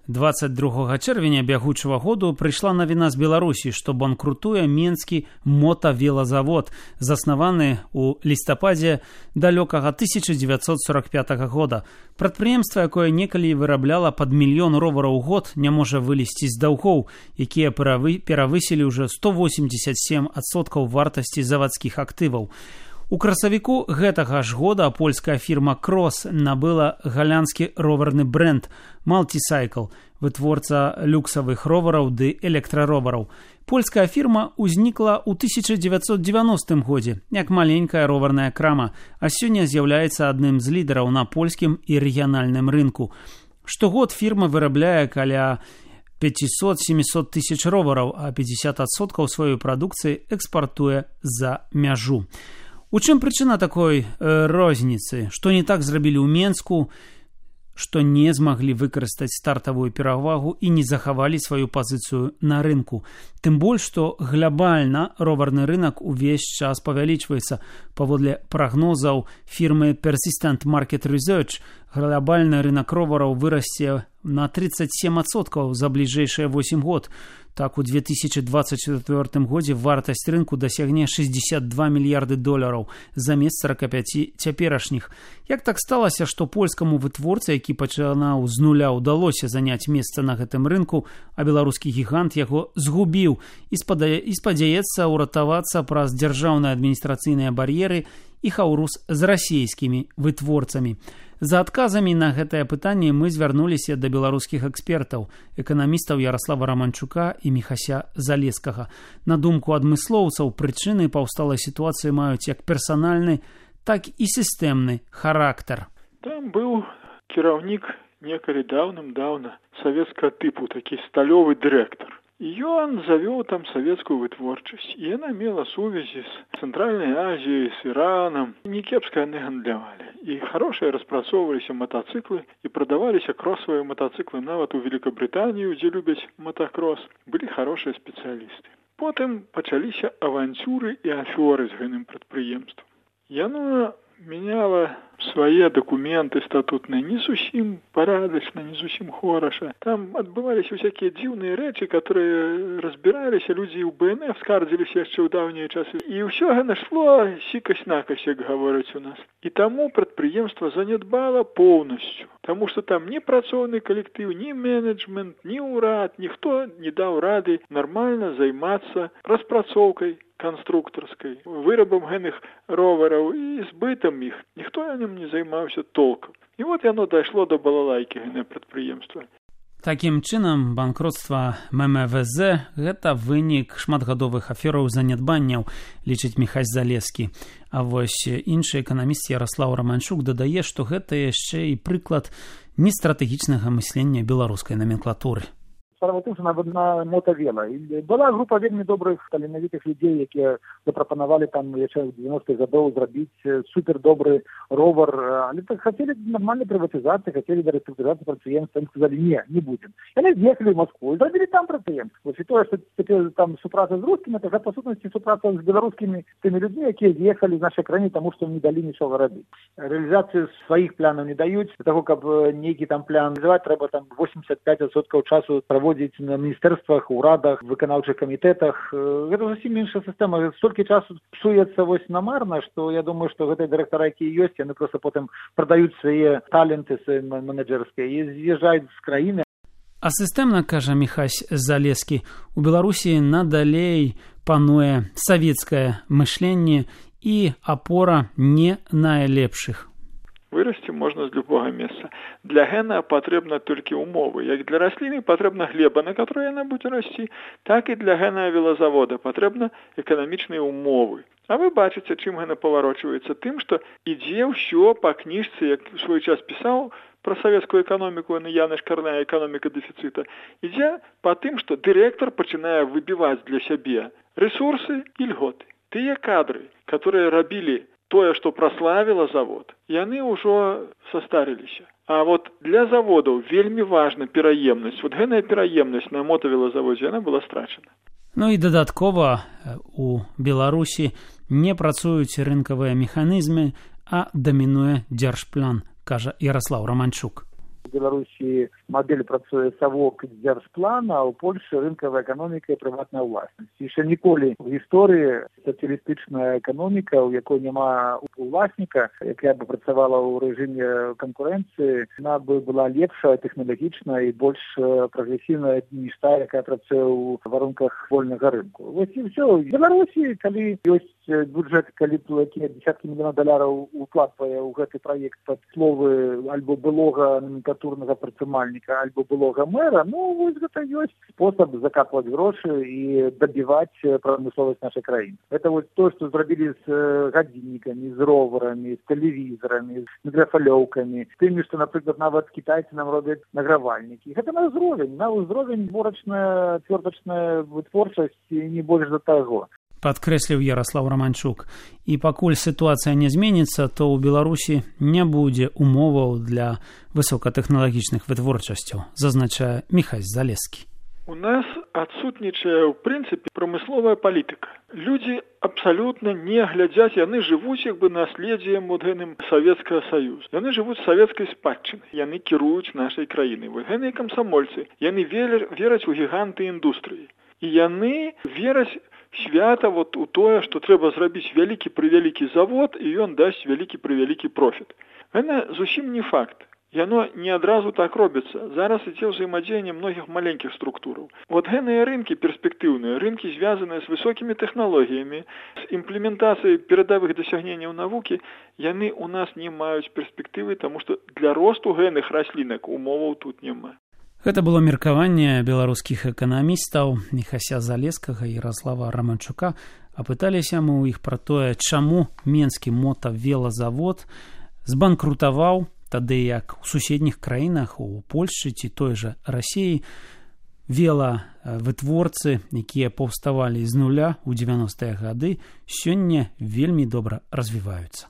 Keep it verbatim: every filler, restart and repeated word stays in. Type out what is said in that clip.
двадцать другога чэрвеня бягучага году прыйшла навіна з Беларусі, што банкрутуе Менскі мотавелазавод, заснаваны ў лістападзе далёкага тысяча дзевяцьсот сорок пятага года. Прадпрыемства, якое некалі вырабляла пад мільён ровараў у год, не можа вылезці з даўгоў, якія перавысілі ўжо сто восемьдесят семь адсоткаў вартасці завадскіх актываў. У красавіку гэтага ж года польская фірма Крос набыла галянскі роварны бренд Multicycle, вытворца люксавых ровараў ды электраровараў. Польская фірма ўзнікла ў тысяча дзевяцьсот дзевяностым годзе, як маленькая роварная крама, а сёння з'яўляецца адным з лідараў на польскім і рэгіянальным рынку. Штогод фірма вырабляе каля пятьсот-семьсот тысяч ровараў, а пятьдесят адсоткаў сваёй прадукцыі экспартуе за мяжу. У чым прычына такой э, розніцы? Што не так зрабілі ў Менску, што не змаглі выкарыстаць стартавую перавагу і не захавалі сваю пазіцыю на рынку. Тым больш, што глобальна роварны рынок увесь час павялічваецца. Паводле прагнозаў фірмы Persistent Market Research, глобальны рынок ровараў вырасце на тридцать семь адсоткаў за бліжэйшыя восемь год. Так, у две тысячи двадцать четвёртым годзе вартасць рынку дасягне шестьдесят два мільярды долараў замест сорок пять цяперашніх. Як так сталася, што польскаму вытворцы, які пачынаў з нуля, удалося заняць месца на гэтым рынку, а беларускі гігант яго згубіў і спадзяецца ўратавацца праз дзяржаўныя адміністрацыйныя бар'еры і хаўрус з расійскімі вытворцамі. За адказамі на гэтае пытанне мы звярнуліся да беларускіх экспертаў, эканамістаў Ярослава Романчука і Міхася Залескага. На думку адмыслоўцаў, прычыны паўсталай сітуацыі маюць як персанальны, так і сістэмны характар. Там быў кіраўнік некалі даўным-даўна савецкага тыпу, такі сталёвы дырэктар. І ён завёў там савецкую вытворчасць. І яна мела сувязі з Цэнтральнай Азіяй, з Іранам. Некепска яны гандлявалі. І хорошыя распрацоўваліся матацыклы і прадаваліся кросавыя матацыклы нават у Великабрытанію, дзе любяць матакрос. Былі хорошыя спецыялісты. Потым пачаліся аванцюры і афёры з гэтым прадпрыемствам. Яно мяняла свае дакументы статутныя не зусім парадачна, не зусім хораша. Там адбываліся всякія дзіўныя рэчы, которые разбіраліся, людзі ў бэ эн эф скардзіліся яшчэ ў даўнія часы. І ўсё гэта шло сікась-накась, як гавораць у нас. І таму прадпрыемства занядбала поўнасцю. Таму што там ні працоўны калектыў, ні менеджмент, ні ўрад, ніхто не даў рады нармальна займацца распрацоўкай канструктарскай, вырабам гэных ровараў і збытам іх. Ніхто ім не займаўся толкам. І вот яно дайшло до балалайкі гэтае прадпрыемства. Такім чынам, банкротства эм эм вэ зэ – гэта вынік шматгадовых афераў занядбанняў, лічыць Міхась Залескі. А вось іншы эканаміст Ярослав Романчук дадае, што гэта яшчэ і прыклад нестратэгічнага мыслення беларускай номенклатуры. Справа тым, што на мотавела. Была група вельмі добрых, таленавітых людзей, якія запрапанавалі там яшчэ ў дзевяностых гадоў зрабіць супердобры ровар. Але так хацелі нармальнай прыватызацыі, хацелі да рэструктурызацыі прадпрыемства. Ім сказалі, не, не будзем. Яны з'ехалі ў Маскву і зрабілі там прадпрыемства. І тое, што цяпер там супраца з рускімі, гэта па сутнасці супраца з беларускімі тымі людзьмі, якія з'ехалі з нашай краіны, таму што не далі нічога рабіць. Рэалізацыю сваіх планаў не даюць. Для таго, каб нейкі там план рэалізаваць, трэба там восемьдесят пять адсоткаў часу праводзіць на міністэрствах, урадах, выканаўчых камітэтах. Гэта зусім іншая сістэма. Столькі часу псуецца вось намарна, што я думаю, што гэтыя дырэктары, якія ёсць, яны проста потым прадаюць свае таленты менеджерскія і з'язджаюць з краіны. А сістэмна, кажа Міхась Залескі, у Беларусі надалей пануе савецкае мышленне і апора не найлепшых. Вырасці можна з любога месца. Для гэна патрэбна толькі умовы. Як для расліны патрэбна глеба, на которой яна будзе расці, так і для гэна велазавода патрэбна эканамічныя умовы. А вы бачыце, чым гэна паварочваецца? Тым, што ідзе ўсё па кніжцы, як у свой час пісаў пра савецкую эканоміку Яныш Карная, эканоміка дэфіцыта. Ідзе па тым, што дырэктар пачынае выбіваць для сябе рэсурсы і льготы. Тыя кадры, которые рабілі тое, што праславіла завод, яны ўжо састарыліся. А вот для заводаў вельмі важна пераемнасць. Вот гэтая пераемнасць на мотавелазаводзе, яна была страчана. Ну і дадаткова у Беларусі не працуюць рынкавыя механізмы, а дамінуе дзяржплан, кажа Ярослав Романчук. В Беларусі модель працуе савок дзяржплана, а ў Польшы рынкавая эканоміка і прыватная ўласнасць. Яшчэ ніколі ў гісторыі сацыялістычная эканоміка, у якой няма уласніка, якая бы працавала ў рэжыме канкурэнцыі, яна бы была лепшая, тэхналагічная і больш прагрэсіўная, ніж та, якая працуе ў варунках вольнага рынку. Вось і ўсё. В Беларусі, калі ёсць бюджэт, калі якія дзесяткі мільёнаў даляраў укладвае ў гэты праект пад словы альбо былога номенклатурнага прадпрымальніка, альбо былога мэра, ну, вось гэта ёсць спосаб закапваць грошы і дабіваць прамысловасць нашай краіны. Гэта вось то, што зрабілі з гадзіннікамі, з роварамі, з тэлевізорамі, з мікрафалёўкамі, з тымі, што, напрыклад, нават кітайцы нам робяць награвальнікі. Гэта на ўзровень, на ўзровень творачная, цвёртачная вытворчасць і не больш за таго. Падкрэсліў Ярослаў Раманчук. І пакуль сітуацыя не зменіцца, то ў Беларусі не будзе умоваў для высокатэхналагічных вытворчасцяў, зазначае Міхась Залескі. У нас адсутнічае, ў прынцыпе, прамысловая палітыка. Людзі абсалютна не глядзяць, яны жывуць як бы наследдзем вот гэтым Савецкага Саюза. Яны жывуць савецкай спадчынай, яны кіруюць нашай краінай. Вот гэтыя камсамольцы, яны вераць у гіганты індустрыі. І яны вераць свята вот у тое, што трэба зрабіць вялікі-прывялікі завод, і ён дасць вялікі-прывялікі профіт. Гэта зусім не факт. Яно не адразу так робіцца. Зараз ідзе ўзаемадзеянне многіх маленькіх структураў. Вот гэтыя рынкі перспектыўныя, рынкі, звязаныя з высокімі тэхналогіямі, з імплементацыяй перадавых дасягненняў навукі, яны ў нас не маюць перспектывы, таму што для росту гэтых раслінак умоваў тут няма. Гэта было меркаванне беларускіх эканамістаў Міхася Залескага і Ярослава Раманчука. Апыталіся мы ў іх пра тое, чаму менскі мотавелазавод збанкрутаваў, тады як у суседніх краінах, у Польшчы ці той жа Расіі, велавытворцы, якія паўставалі з нуля ў дзевяностыя гады, сёння вельмі добра развіваюцца.